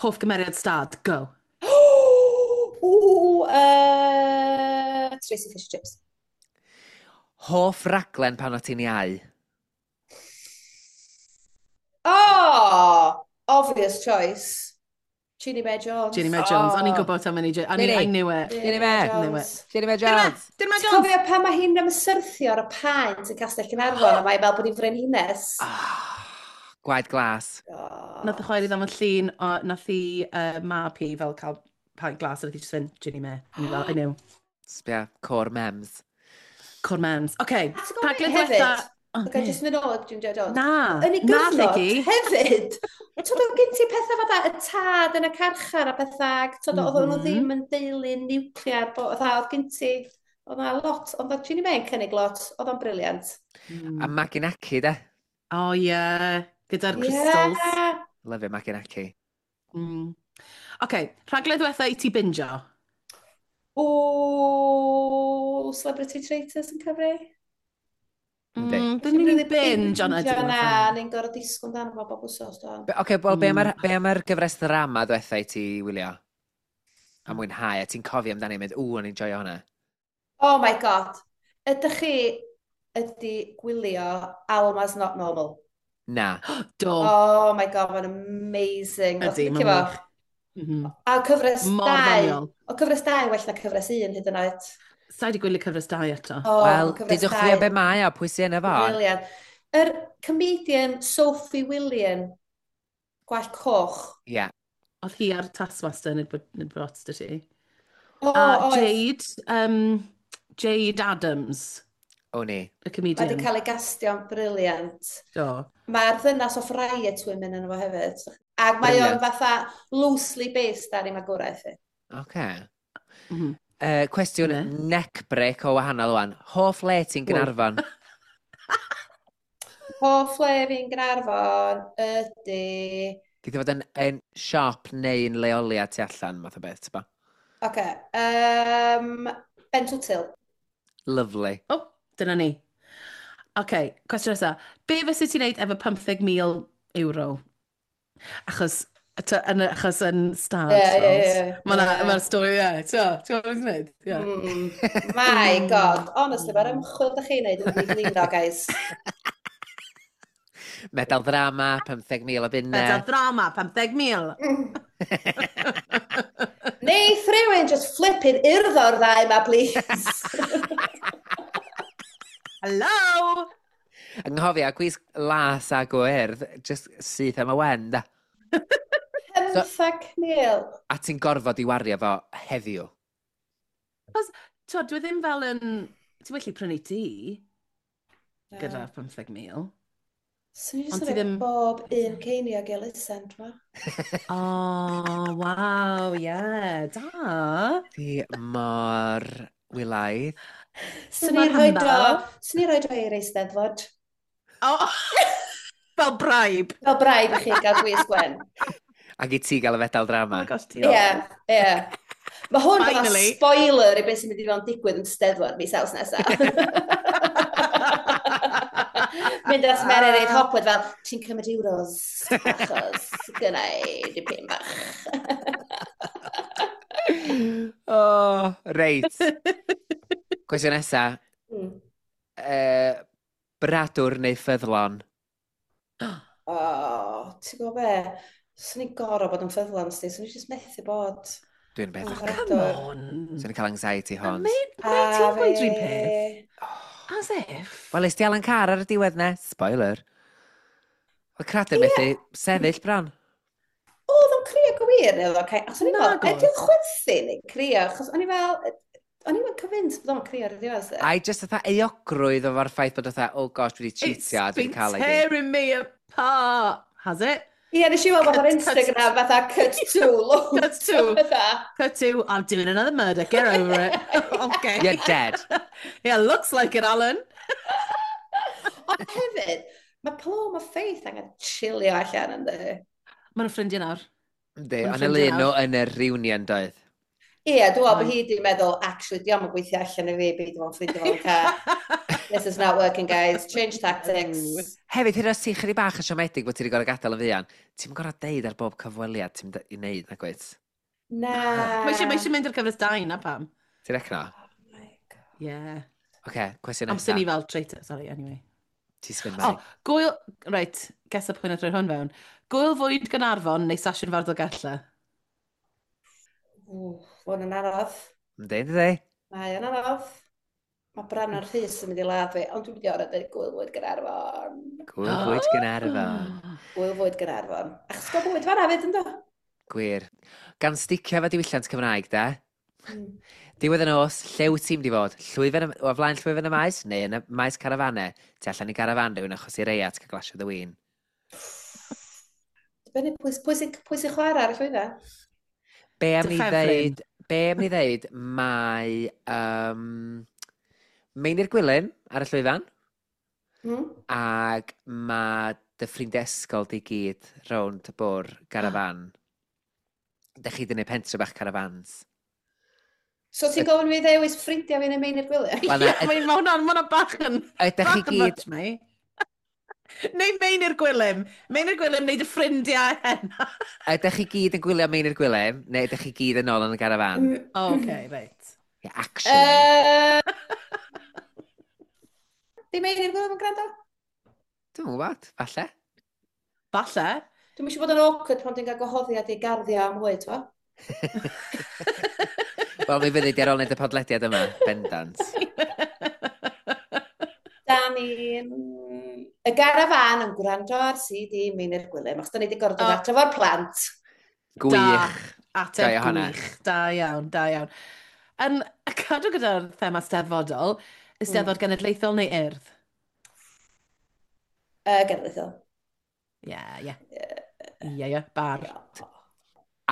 Speaker 2: hoff gymeriad stad, go.
Speaker 4: Ooh, Tracy Fish Chips.
Speaker 3: Hoff raglen pan o ti'n iau?
Speaker 4: Oh, obvious choice. Ginny Mae Jones.
Speaker 2: Ginny Mae Jones. O'n i'n gwybod am hynny. I knew it.
Speaker 3: Ginny Mae.
Speaker 2: Knew it.
Speaker 3: Ginny Mae Jones.
Speaker 2: Ginny Mae
Speaker 4: Ti'n
Speaker 2: Jones.
Speaker 4: cofio pan mae hi'n ymsyrthio ar y paent yn Castell Caernarfon a mae fel bod hi'n frenhines?
Speaker 3: Oh, gwaed glas.
Speaker 4: Oh.
Speaker 2: Nath y chwaer i ddangos llun, o, nath i mab hi fel cael paent glas, a nath hi just fynd, "Ginny Mae." O'n i fel, "I knew."
Speaker 3: Sbia, core mems.
Speaker 2: Core mems. Okay,
Speaker 4: A ti'n gwybod
Speaker 2: rhaglen
Speaker 4: beth hefyd?
Speaker 2: diwetha. Oh,
Speaker 4: Ga i jyst mynd ôl at Ginny Mae Jones.
Speaker 2: Na,
Speaker 4: Yn ei
Speaker 2: na,
Speaker 4: gyfnod
Speaker 2: Lleucu.
Speaker 4: hefyd, twyd, oedd gen ti pethau fatha y tad yn y carchar a pethau, ac twyd, oedd nhw ddim yn deulu niwclear, fatha, oedd gen ti, oedd na lot, ond oedd Ginny Mae yn cynnig lot, oedd o'n brilliant.
Speaker 3: A Maggie Naki, de.
Speaker 2: O, ie. Gyda'r crystals.
Speaker 4: Yeah.
Speaker 3: Love it, Maggie Naki.
Speaker 2: OK, rhaglen ddiwetha i ti bingio?
Speaker 4: O, Celebrity Traitors yn cyfri?
Speaker 3: Yndi.
Speaker 2: Dyn ni'n really binge ond ydyn.
Speaker 4: Na, ni'n gorfod disgwyl amdano fo bob wsos, do.
Speaker 3: Oce, wel, be am yr gyfres ddrama ddiwetha i ti wylio? A mwynhau, a ti'n cofio amdani, mynd, ww, o'n i'n joio hwnna.
Speaker 4: Oh my God. Ydych chi ydi gwylio Alma's Not Normal?
Speaker 3: Na.
Speaker 2: Do.
Speaker 4: Oh my God, mae'n amazing.
Speaker 2: Ydy,
Speaker 4: mae'n
Speaker 2: wych.
Speaker 4: A cyfres
Speaker 2: Mor
Speaker 4: 2.
Speaker 2: ddoniol.
Speaker 4: O cyfres 2 well na cyfres 1 hyd yn oed.
Speaker 2: Sa i wedi gwylio cyfres 2 eto.
Speaker 4: Oh,
Speaker 3: Wel,
Speaker 4: cyfres
Speaker 3: dudwch fi
Speaker 4: dau.
Speaker 3: o be mae o, pwy sy'n efo?
Speaker 4: Brilliant. Yr comedian Sophie William, gwallt coch.
Speaker 3: Ie. Yeah.
Speaker 2: Oedd hi ar Taskmaster nid bod dy ti.
Speaker 4: O,
Speaker 2: A
Speaker 4: oedd.
Speaker 2: Jade, Jade Adams,
Speaker 3: O ni.
Speaker 2: y
Speaker 4: Mae
Speaker 2: comedian.
Speaker 4: wedi cael ei gastio'n brilliant.
Speaker 2: Do.
Speaker 4: Mae'r ddynas o Riot Women yn efo hefyd. Ac mae o'n
Speaker 3: Brilliant.
Speaker 4: fatha loosely based ar ei magwraeth hi.
Speaker 3: Oce. Cwestiwn
Speaker 2: Ne.
Speaker 3: neck break o wahanol wan. Hoff le ti'n Gaernarfon?
Speaker 4: Hoff le fi'n Gaernarfon ydy...
Speaker 3: Geith o fod yn siop neu'n leoliad tu allan, math o beth, ti'n bo?
Speaker 4: Oce. Ben Twtil.
Speaker 3: Lovely.
Speaker 2: O, dyna ni. OK, cwestiwn nesaf. Be fysa ti'n neud efo 15,000 euro? Achos, achos yn stad.
Speaker 4: Ie, ie, ie.
Speaker 2: Mae'r ma stori, ie. Ti'n gwybod beth ti'n neud? Ie.
Speaker 4: My God, honestly, mae'r ymchwil da chi'n neud yn ddiflino, guys.
Speaker 3: Medal ddrama, 15,000 o bunnau.
Speaker 2: Medal drama, 15,000.
Speaker 4: Neith rhywun just flipping urddo'r ddau ma, please.
Speaker 2: Hello!
Speaker 3: Anghofio, gwisg las a gwyrdd, just syth am y wen, da.
Speaker 4: 15,000.
Speaker 3: A ti'n gorfod i wario fo heddiw.
Speaker 2: Ti'n dwi ddim fel yn... Ti'n well i prynu tŷ gyda 15,000.
Speaker 4: Swn i
Speaker 2: Ond
Speaker 4: jyst
Speaker 2: ti
Speaker 4: yn rhoi
Speaker 2: ddim-
Speaker 4: bob un ceiniog i elusen, dwi'n meddwl.
Speaker 2: Oh, waw, ie, da.
Speaker 3: Ti mor wylaidd.
Speaker 4: Swn i'n
Speaker 2: Mor
Speaker 4: rhoi do,
Speaker 2: humble.
Speaker 4: swn i'n rhoi do i'r Eisteddfod.
Speaker 2: Oh, fel bribe.
Speaker 4: Fel bribe i chi gael gwisg wen.
Speaker 3: Ac i ti gael y fedal
Speaker 2: Oh
Speaker 3: drama.
Speaker 2: my gosh, diolch.
Speaker 4: Ie, ie. Mae hwn fatha
Speaker 2: Finally.
Speaker 4: spoiler i beth sy'n mynd i fod yn digwydd yn Steddfod mis Awst nesaf. Mynd at Mererid Hopwood fel, ti'n cymryd euros, achos gynna i dipyn bach.
Speaker 3: Oh, reit. Cwestiwn nesa. Bradwr neu ffyddlon?
Speaker 4: O, ti'n gwybod be? Swn i'n gorfod bod yn ffyddlon, sti. Swn i jyst methu bod.
Speaker 3: Dwi'n beth.
Speaker 4: Oh,
Speaker 2: Oh, come on.
Speaker 3: Swn i'n cael anxiety
Speaker 2: A
Speaker 3: horns.
Speaker 2: Mae ti'n gweud rhywun peth? As if.
Speaker 3: Wel, es di Alan Carr ar y diwedd ne? Spoiler. Oedd Cradur methu sefyll bron.
Speaker 4: Oedd o'n crio go wir, neu oedd o'n cael... Achos o'n i'n
Speaker 2: Nag
Speaker 4: fel,
Speaker 2: oedd.
Speaker 4: ydy o'n chwerthin neu crio? Achos o'n i fel, o'n i'n convinced bod o'n crio ar y diwedd. sti.
Speaker 3: A i just fatha euogrwydd o'r ffaith bod fatha, oh gosh, dwi wedi
Speaker 2: It's
Speaker 3: cheatio a dwi
Speaker 2: been
Speaker 3: wedi cael ei di.
Speaker 2: tearing me apart. Has it?
Speaker 4: Ie, nes i weld fatha'r
Speaker 2: Cut, cut.
Speaker 4: Instagram, fatha cut to, loads.
Speaker 2: Cut to.
Speaker 4: Fatha.
Speaker 2: Cut to, I'm doing another murder. Get over it. Okay.
Speaker 3: You're dead.
Speaker 2: Yeah, looks like it, Alan.
Speaker 4: Ond hefyd, mae Paloma Faith angen chilio allan ynddi.
Speaker 2: Maen nhw'n ffrindiau nawr.
Speaker 3: Yndi,
Speaker 2: Ma'n
Speaker 3: ond y
Speaker 2: ffrindiau
Speaker 3: lun nhw
Speaker 2: nawr.
Speaker 3: yn y reunion doedd.
Speaker 4: Ie, dwi'n meddwl bod
Speaker 2: Oedd.
Speaker 4: hi di meddwl, actually, di o'm yn gweithio allan i fi, beidio fo'n ffrindiau fo'n car. This is not working, guys. Change tactics.
Speaker 3: Hefyd, hyd yn oed os ti'n chydig bach yn siomedig bod ti wedi gorfod gadael yn fuan, ti'n gorfod deud ar bob cyfweliad ti'n i wneud, na gwyt?
Speaker 4: Na.
Speaker 2: Mae eisiau mynd i'r cyfres 2 na pam.
Speaker 3: Ti'n recno?
Speaker 4: Oh my God.
Speaker 2: Yeah.
Speaker 3: Oce, cwestiwn
Speaker 2: Am sy'n
Speaker 3: nesa.
Speaker 2: ni fel traitor, sorry, anyway.
Speaker 3: Ti spin
Speaker 2: O,
Speaker 3: Mari.
Speaker 2: gwyl... Reit, gesa pwy nath roi hwn fewn. Gwyl fwyd Gaernarfon neu Sasiwn Fawr Dolgellau?
Speaker 4: Ww, hwn yn anodd.
Speaker 3: Yndi, yndi?
Speaker 4: Mae o'n anodd. Mae Brannan Rhys yn mynd i ladd fi, ond dwi'n mynd i orau dweud gwyl fwyd Gaernarfon.
Speaker 3: Gwyl fwyd Gaernarfon.
Speaker 4: Gwyl fwyd Gaernarfon. Achos gael bwyd fan'na fyd, ynddo?
Speaker 3: Gwir. Gan sticio efo diwylliant Cymraeg, de? Diwedd y nos, lle wyt ti'n mynd i fod? Llwyfan, o flaen llwyfan y maes? Neu yn y maes carafanau? Tu allan i garafan rhywun achos i reiat cael glasio dy win.
Speaker 4: Dibynnu pwy sy'n chwarae ar y llwyfan.
Speaker 3: Be am
Speaker 2: Dy
Speaker 3: ni
Speaker 2: ffefryn?
Speaker 3: ddeud, be am ni ddeud, mae Meinir Gwilym ar y llwyfan, ac mae dy ffrindiau ysgol di gyd rownd y bwr garafan. Dych chi di gwneud pentre bach carafans.
Speaker 4: So ti'n gofyn fi ddewis ffrindiau fi neu Meinir Gwilym?
Speaker 3: Wel, na,
Speaker 2: Ie, mae hwnna'n bach yn...
Speaker 3: Ydych chi
Speaker 2: bach yn
Speaker 3: gyd
Speaker 2: much, mate. Neu Meinir Gwilym. Meinir Gwilym neu dy ffrindiau heno.
Speaker 3: Ydych chi gyd yn gwylio Meinir Gwilym, neu ydych chi gyd yn ôl yn y garafan?
Speaker 2: O, okay, reit.
Speaker 3: Yeah, actually.
Speaker 4: Di Meinir Gwilym yn gwrando?
Speaker 3: Dwi'n gwybod, falle.
Speaker 2: Falle.
Speaker 4: Dwi'n eisiau bod yn awkward pan dwi'n cael gwahoddiad i garddio am fwyd, fo.
Speaker 3: Wel, mi fyddi di ar ôl wneud y podlediad yma, bendant.
Speaker 4: Da ni'n... Y garafan yn gwrando ar CD Meinir Gwilym, achos da ni wedi gorfod dod adre fo'r plant.
Speaker 3: Gwych.
Speaker 2: Ateb
Speaker 3: Joio hwnna.
Speaker 2: gwych. Da iawn, da iawn. Yn cadw gyda'r thema steddfodol, Eisteddfod Genedlaethol neu Urdd?
Speaker 4: Genedlaethol.
Speaker 2: Ie, ie. Ie, ie, bar.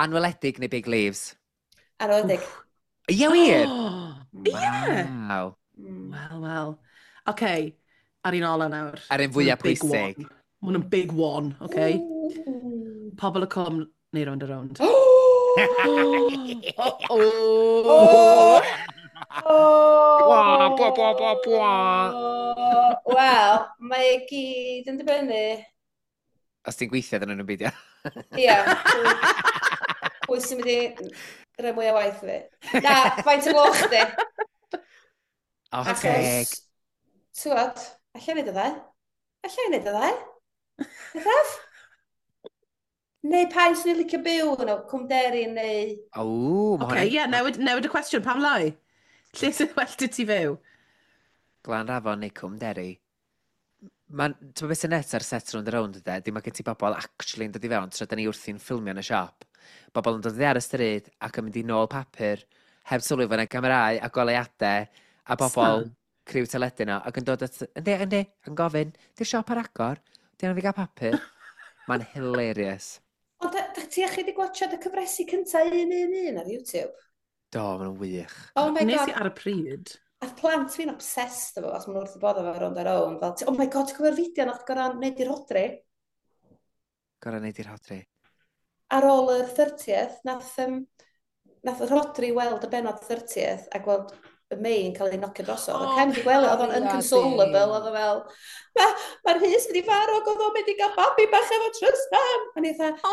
Speaker 3: Anweledig neu Big Leaves?
Speaker 4: Anweledig.
Speaker 3: Ie, wir?
Speaker 2: Ie!
Speaker 3: Waw.
Speaker 2: Wel, wel. Oce, ar un ola nawr.
Speaker 3: Ar un fwyaf
Speaker 2: Big
Speaker 3: pwysig.
Speaker 2: one. Ma' hwn yn big one, oce? Pobl y Cwm neu Rownd a Rownd.
Speaker 4: Oh!
Speaker 2: Oh!
Speaker 3: Bwa, bwa, bwa, bwa, bwa.
Speaker 4: Wel, mae e gyd yn dibynnu.
Speaker 3: Os ti'n gweithio, dyn nhw'n beidio.
Speaker 4: Ia. Pwy sy'n mynd i rhoi mwy o waith i fi? Na, faint o gloch di?
Speaker 3: O, teg.
Speaker 4: Achos, ti'n gwybod, allai wneud y ddau. Allai wneud y ddau. Bethaf? Neu pa un sy'n ei licio byw yno, Cwm Derry neu...
Speaker 3: O, mae
Speaker 2: Oce,
Speaker 3: hwnna...
Speaker 2: ie, newid y cwestiwn, pam lai? Lle sy'n well dy ti fyw?
Speaker 3: Glan Rafon neu Cwm Derry. Mae'n, ti'n beth sy'n net ar set Rownd a Rownd yde, dim mae gen ti bobl actually yn dod i fewn tra da ni wrthi'n ffilmio yn y siop. Bobl yn dod i ar y stryd ac yn mynd i nôl papur, heb sylwi fod yna camerâu a goleuadau a bobl criw teledu yno ac yn dod at, yndi, yndi, yn gofyn, di'r siop ar agor, di angen fi gael papur. Mae'n hilarious.
Speaker 4: Ond da ti chi wedi gwachod y cyfresi cynta 1-1-1 ar YouTube?
Speaker 3: Do, maen nhw'n wych.
Speaker 4: Oh my
Speaker 2: Nes
Speaker 4: god.
Speaker 2: i ar y pryd.
Speaker 4: A plant fi'n obsessed efo, os maen nhw wrth y bodd efo Rownd a Rownd. Fel, oh my god, ti'n cofio'r fideo nath gorau wneud i'r Rodri?
Speaker 3: Gorau wneud i'r Rhodri.
Speaker 4: Ar ôl yr 30th, nath Rodri weld y benod 30th a gweld y May yn cael ei nocio drosodd.
Speaker 2: O,
Speaker 4: Oh, Cem di gweld, oedd o'n
Speaker 2: cariad
Speaker 4: inconsolable,
Speaker 2: i.
Speaker 4: oedd o fel, mae'r Rhys wedi farw ac oedd o'n mynd i gael babi bach efo Trystan. A ni fatha, o,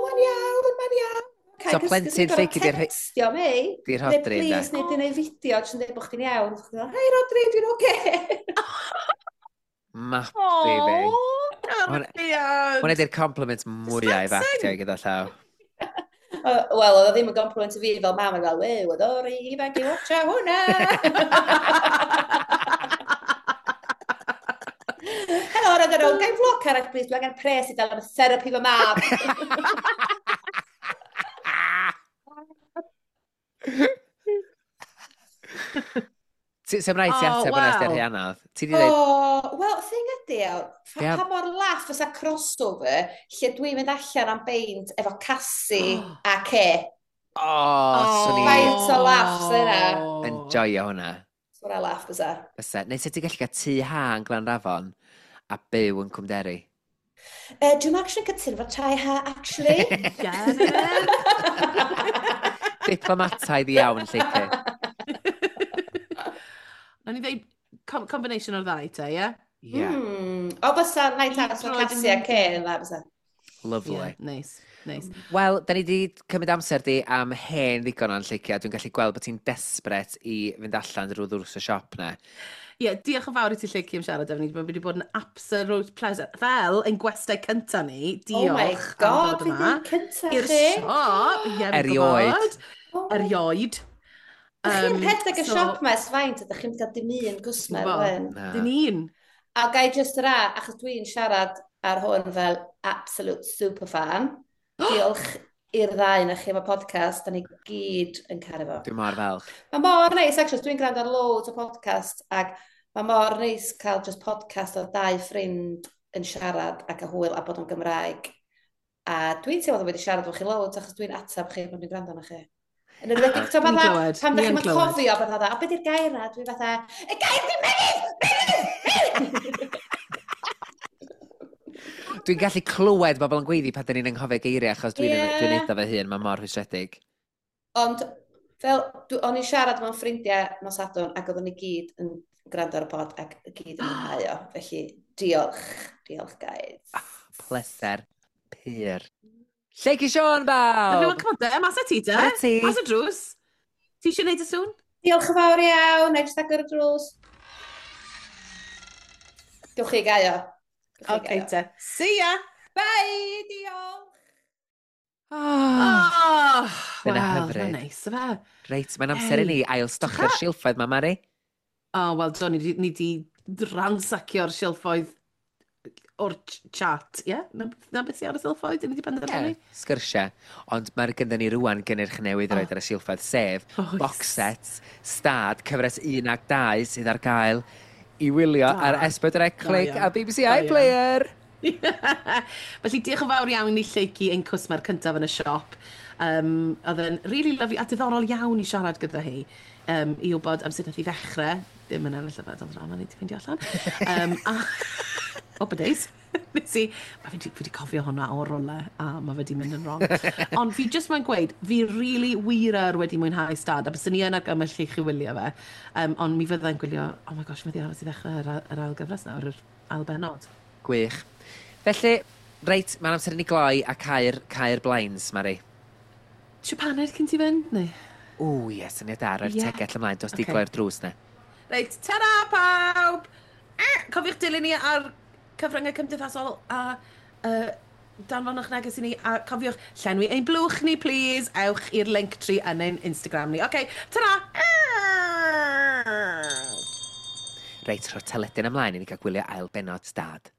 Speaker 4: mae'n iawn, mae'n iawn.
Speaker 3: So plentyn lleucu di'r
Speaker 4: Textio May.
Speaker 3: Di'r
Speaker 4: Neu
Speaker 3: Rhodri, ynde?
Speaker 4: please, neu di wneud fideo, jyst yn dweud bod chdi'n iawn. Chdi'n fel, hei Rodri, dwi'n oce.
Speaker 3: Mapi fi.
Speaker 2: O, cariad!
Speaker 3: Hwna di'r compliment mwyaf i
Speaker 2: Distressing.
Speaker 3: actio gyda llaw.
Speaker 4: Wel, oedd o ddim yn compliment i fi fel mam, oedd fel, wew, oedd o'r ifanc i watcha hwnna. Helo, roedd yr gai vlog arall, please, dwi angen pres i dal am therapi fy mab.
Speaker 3: Sa'm rhaid ti
Speaker 2: O,
Speaker 3: ateb hwnna os di'r
Speaker 2: wel.
Speaker 3: rhy anodd. Ti di dweud,
Speaker 4: O, wel, thing ydi,
Speaker 3: Ie.
Speaker 4: pa mor laff fysa crossover lle dwi'n mynd allan am beint efo Cassie a Ce.
Speaker 3: o, swn i
Speaker 4: Faint o laughs yna.
Speaker 3: yn joio hwnna.
Speaker 4: Swn i'n laff fysa.
Speaker 3: Fysa. Neu sut ti'n gallu cael tŷ ha yn Glanrafon a byw yn Cwmderi?
Speaker 4: Dwi'n actually cytuno efo tai ha, actually.
Speaker 2: Get it?
Speaker 3: Diplomataidd iawn, Lleucu.
Speaker 2: Nawn ni ddeud combination o'r ddau te, ie?
Speaker 3: Ie,
Speaker 4: O, fysa night out efo
Speaker 2: Droed yn
Speaker 4: Cassie a Ce yn dda, fysa.
Speaker 3: lovely.
Speaker 2: Yeah, nice, nice.
Speaker 3: Wel, da ni di cymryd amser di am hen ddigon o'n Lleucu, a dwi'n gallu gweld bod ti'n desperate i fynd allan drwy ddrws y siop na.
Speaker 2: Ie, yeah, diolch yn fawr i ti Lleucu am siarad efo ni. Mae wedi bod yn absolute pleasure. Fel ein gwestai cynta ni, diolch
Speaker 4: Oh my
Speaker 2: am
Speaker 4: god,
Speaker 2: ddod
Speaker 4: fi
Speaker 2: yma.
Speaker 4: ddim cynta
Speaker 2: I'r
Speaker 4: chi.
Speaker 2: siop, ie, fi'n
Speaker 3: Erioed.
Speaker 2: gwybod.
Speaker 4: Oh my
Speaker 2: Erioed.
Speaker 4: Dych chi'n rhedeg y
Speaker 2: so-
Speaker 4: siop ma ers faint, a dych chi'n cael dim un gwsmer,
Speaker 2: Bo.
Speaker 4: wen.
Speaker 3: Na.
Speaker 2: Dim un.
Speaker 4: A gai just ra, achos dwi'n siarad ar hwn fel absolute superfan. Diolch i'r ddau na chi am y podcast, da ni gyd yn caru fo.
Speaker 3: Dwi'n mor falch.
Speaker 4: Mae mor neis, actually, dwi'n gwrando ar loads o podcast, ac mae mor neis cael just podcast o dau ffrind yn siarad ac a hwyl a bod o'n Gymraeg. A dwi'n teimlo bod wedi siarad efo chi loads, achos dwi'n atab chi pan dwi'n gwrando arno chi. Yn enwedig, ti'n
Speaker 2: Ni'n
Speaker 4: fatha,
Speaker 2: clywed,
Speaker 4: pan
Speaker 2: ni
Speaker 4: ddech
Speaker 2: yn
Speaker 4: chi'n
Speaker 2: clywed.
Speaker 4: cofio beth fatha, o beth yw'r gair na? Dwi'n fatha, y gair di mynydd! Mynydd! Mynydd!
Speaker 3: Dwi'n gallu clywed bobl yn gweiddi pan dyn ni'n anghofio geiriau, achos dwi'n yeah. Dwi neud o fy hun, mae mor rhwystredig.
Speaker 4: Ond, fel, o'n i'n siarad mewn ffrindiau nos Sadwrn, ac oedden ni gyd yn gwrando ar y pod ac i gyd yn mwynhau o. Felly, diolch. Diolch, guys.
Speaker 3: Ah, pleser pur. Lleucu Siôn, bawb!
Speaker 2: Wel, come on de, mas â ti de.
Speaker 3: Mas ti.
Speaker 2: Mas y drws. Ti eisiau gwneud y sŵn?
Speaker 4: Diolch yn fawr iawn. Na i jyst agor y drws. Gewch chi gau o.
Speaker 2: Oce te. See ya!
Speaker 4: Bye, diolch!
Speaker 3: Oh,
Speaker 2: Oh,
Speaker 3: Dyna
Speaker 2: wel,
Speaker 3: hyfryd.
Speaker 2: Mae'n neis, ife?
Speaker 3: Reit, mae'n amser i ni ail stocio'r silffoedd ma, Mari.
Speaker 2: O, oh, wel, do, ni di ransacio'r silffoedd o'r chat, ie? Yeah? Na beth sy'n ar y silffoedd, ni di penderfynu?
Speaker 3: Ie, sgyrsiau. Ond mae'r gyda ni rwan gynnyrch newydd i roed ar y silffoedd, sef
Speaker 2: Oes.
Speaker 3: box sets, stad, cyfres 1 ac 2 sydd ar gael i wylio
Speaker 2: Da.
Speaker 3: ar S4C Click
Speaker 2: iawn.
Speaker 3: a BBC
Speaker 2: Da iawn.
Speaker 3: iPlayer.
Speaker 2: Felly diolch yn fawr iawn i Lleucu, ein cwsmer cyntaf yn y siop. Oedd e'n really lovely a diddorol iawn i siarad gyda hi. I wybod am sut nath i ddechrau. Ddim yn ennill y fel drama, ni di ffeindio allan. A, oh, days. Nes i, mae fi di cofio hwnna o role, a mae fe di mynd yn wrong. Ond fi just mae'n gweud, fi really wir ar wedi mwynhau stad, a byswn i yn argymell i chi wylio fe. Ond mi fyddai'n gwylio, oh my gosh, mae di aros i ddechrau yr ail gyfres nawr, yr ail bennod.
Speaker 3: Gwych. Felly, reit, mae'n amser i ni gloi a cau'r blinds, Mari.
Speaker 2: Tisio paned cyn ti fynd, neu?
Speaker 3: Ww, ie, syniad da, roi'r
Speaker 2: Ie.
Speaker 3: tegell ymlaen, dos di
Speaker 2: Ocê.
Speaker 3: gloi'r drws na.
Speaker 2: Reit, ta-ra pawb! Cofiwch dilyn ni ar cyfryngau cymdeithasol a danfonwch neges i ni a cofiwch llenwi ein blwch ni, please. Ewch i'r link tree yn ein Instagram ni. Oce, ta-ra!
Speaker 3: Reit, rhoi'r teledyn ymlaen i ni gael gwylio ail bennod stad.